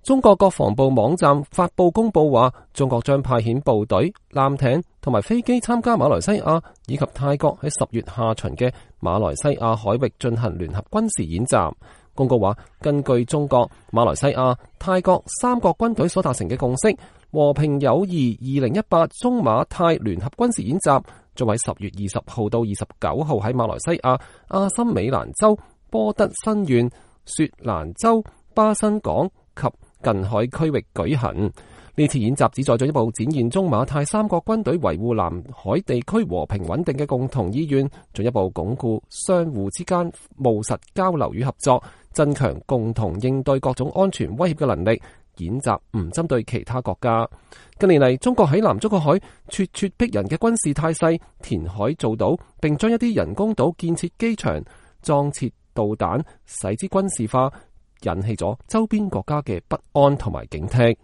中國國防部網站發布公佈話，中國將派遣部隊、艦艇同埋飛機參加馬來西亞以及泰國喺10月下旬嘅馬來西亞海域進行聯合軍事演習。公告話，根據中國、馬來西亞、泰國三國軍隊所達成嘅共識，和平友誼2018中馬泰聯合軍事演習將喺10月20號到29號喺馬來西亞阿森美蘭州、波德新縣、雪蘭州、巴新港及近海區域舉行。呢次演習旨在進一步展現中馬泰三國軍隊維護南海地區和平穩定嘅共同意願，進一步鞏固相互之間務實交流與合作，增強共同應對各種安全威脅嘅能力。演習唔針對其他國家。近年嚟，中國喺南中國海咄咄逼人嘅軍事態勢，填海造島，並將一啲人工島建設機場、裝設導彈，使之軍事化，引起咗周邊國家嘅不安同埋警惕。